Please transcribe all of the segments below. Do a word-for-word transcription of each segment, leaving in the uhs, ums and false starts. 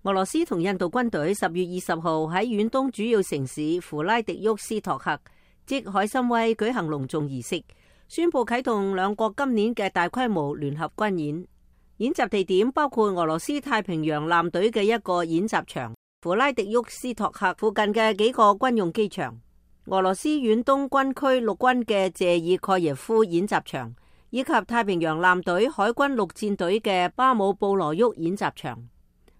俄羅斯同印度軍隊十月二十號喺遠東主要城市弗拉迪沃斯托克，即海參崴舉行隆重儀式，宣布啟動兩國今年嘅大規模聯合軍演。演習地點包括俄羅斯太平洋艦隊嘅一個演習場、弗拉迪沃斯托克附近嘅幾個軍用機場、俄羅斯遠東軍區陸軍嘅謝爾蓋耶夫演習場，以及太平洋艦隊海軍陸戰隊嘅巴姆布羅沃演習場。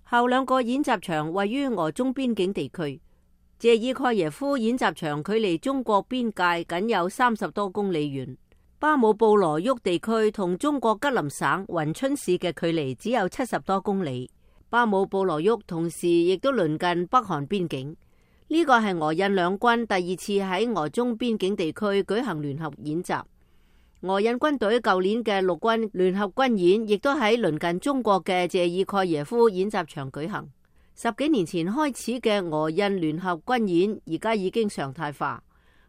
後兩個演習場位於俄中邊境地區。謝爾蓋耶夫演習場距離中國邊界僅有三十多公里遠，巴姆布羅沃地區同中國吉林省雲春市嘅距離只有七十多公里。巴姆布羅沃同時亦都鄰近北韓邊境。呢個係俄印兩軍第二次喺俄中邊境地區舉行聯合演習。俄印軍隊舊年嘅陸軍聯合軍演亦都喺鄰近中國嘅謝爾蓋耶夫演習場舉行。十幾年前開始嘅俄印聯合軍演而家已經常態化。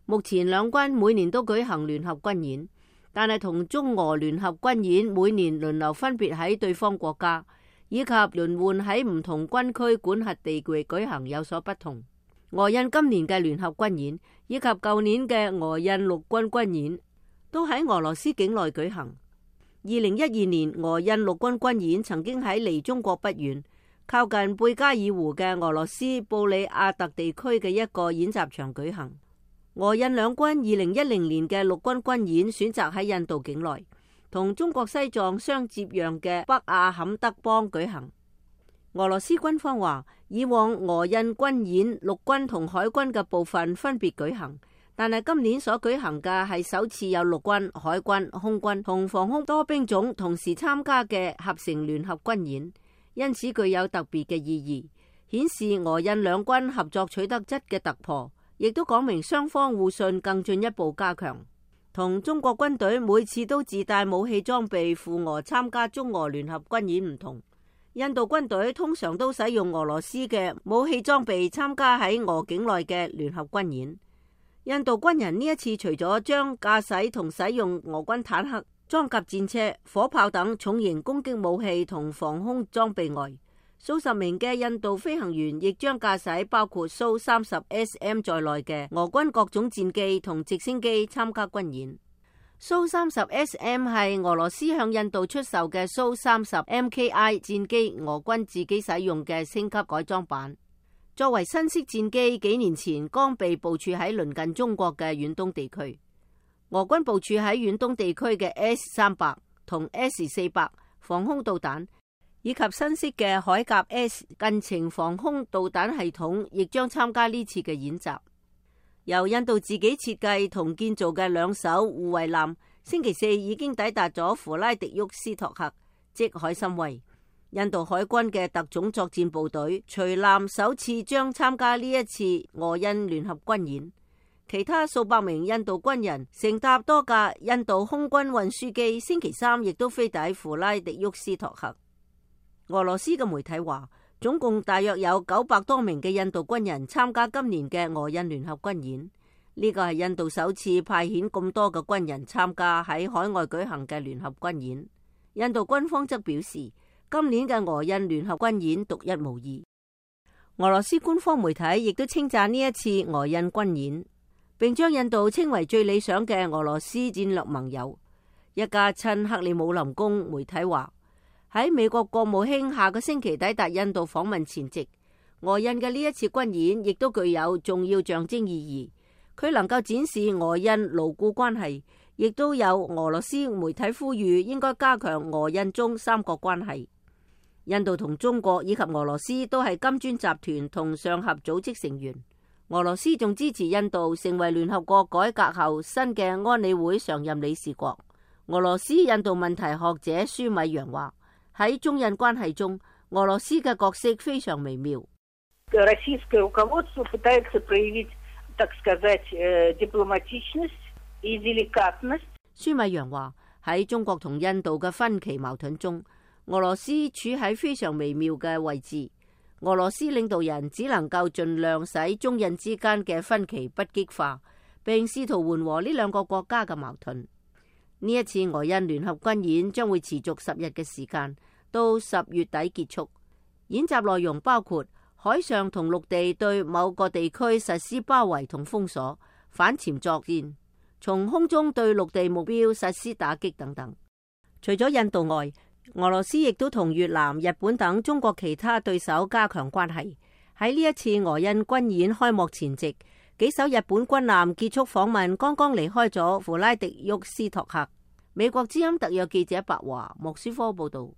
目前兩軍每年都舉行聯合軍演，但係同中俄聯合軍演每年輪流分別喺對方國家以及輪換喺唔同軍區管轄地域舉行有所不同。俄印今年嘅聯合軍演以及舊年嘅俄印陸軍軍演都喺俄羅斯境內舉行。二零一二年俄印陸軍軍演曾經喺離中國不遠、靠近貝加爾湖嘅俄羅斯布里亞特地區嘅一個演習場舉行。俄印兩軍二零一零年嘅陸軍軍演選擇喺印度境內，同中國西藏相接壤嘅北阿坎德邦舉行。俄羅斯軍方話，以往俄印軍演陸軍同海軍嘅部分分別舉行，但係今年所舉行嘅係首次有陸軍、海軍、空軍同防空多兵種同時參加嘅合成聯合軍演，因此具有特別嘅意義，顯示俄印兩軍合作取得質嘅突破，亦都講明雙方互信更進一步加強。同中國軍隊每次都自帶武器裝備赴俄參加中俄聯合軍演唔同，印度軍隊通常都使用俄羅斯嘅武器裝備參加喺俄境內嘅聯合軍演。印度軍人呢一次除咗將駕駛同使用俄軍坦克、裝甲戰車、火炮等重型攻擊武器同防空裝備外，數十名嘅印度飛行員亦將駕駛包括蘇三十 S M 在內嘅俄軍各種戰機同直升機參加軍演。蘇三十 S M 係俄羅斯向印度出售嘅蘇三十 M K I 戰機，俄軍自己使用嘅升級改裝版。作為新式戰機，幾年前剛被部署喺鄰近中國嘅遠東地區。俄軍部署喺遠東地區嘅 S 三百同 S 四百防空導彈，以及新式嘅海甲 S 近程防空導彈系統，亦將參加呢次嘅演習。由印度自己設計同建造嘅兩艘護衛艦，星期四已經抵達咗弗拉迪沃斯托克，即海參崴。印度海軍嘅特種作戰部隊隨艦首次將參加呢一次俄印聯合軍演，其他數百名印度軍人乘搭多架印度空軍運輸機，星期三亦都飛抵弗拉迪沃斯托克。俄羅斯嘅媒體話，總共大約有九百多名嘅印度軍人參加今年嘅俄印聯合軍演，呢個係印度首次派遣咁多嘅軍人參加喺海外舉行嘅聯合軍演。印度軍方則表示，今年嘅俄印聯合軍演獨一無二。俄羅斯官方媒體亦都稱讚呢一次俄印軍演，並將印度稱為最理想嘅俄羅斯戰略盟友。一家親克里姆林宮媒體話，喺美國國務卿下個星期抵達印度訪問前夕，俄印嘅呢一次軍演亦都具有重要象徵意義。佢能夠展示俄印牢固關係，亦都有俄羅斯媒體呼籲應該加強俄印中三國關係。印度同中國以及俄羅斯都係金磚集團同上合組織成員。俄羅斯仲支持印度成為聯合國改革後新嘅安理會常任理事國。俄羅斯印度問題學者舒米揚話，喺中印關係中，俄羅斯嘅角色非常微妙。舒米揚話，喺中國同印度嘅分歧矛盾中，俄羅斯處喺非常微妙嘅位置。俄羅斯領導人只能夠盡量使中印之間嘅分歧不激化，並試圖緩和呢兩個國家嘅矛盾。呢一次俄印聯合軍演將會持續十日嘅時間，到十月底結束。演習內容包括海上同陸地對某個地區實施包圍同封鎖、反潛作戰，從空中對陸地目標實施打擊等等。除咗印度外，俄羅斯亦都同越南、日本等中國其他對手加強關係。喺呢一次俄印軍演開幕前夕，幾艘日本軍艦結束訪問，剛剛離開咗弗拉迪沃斯托克。美國之音特約記者白華莫斯科報道。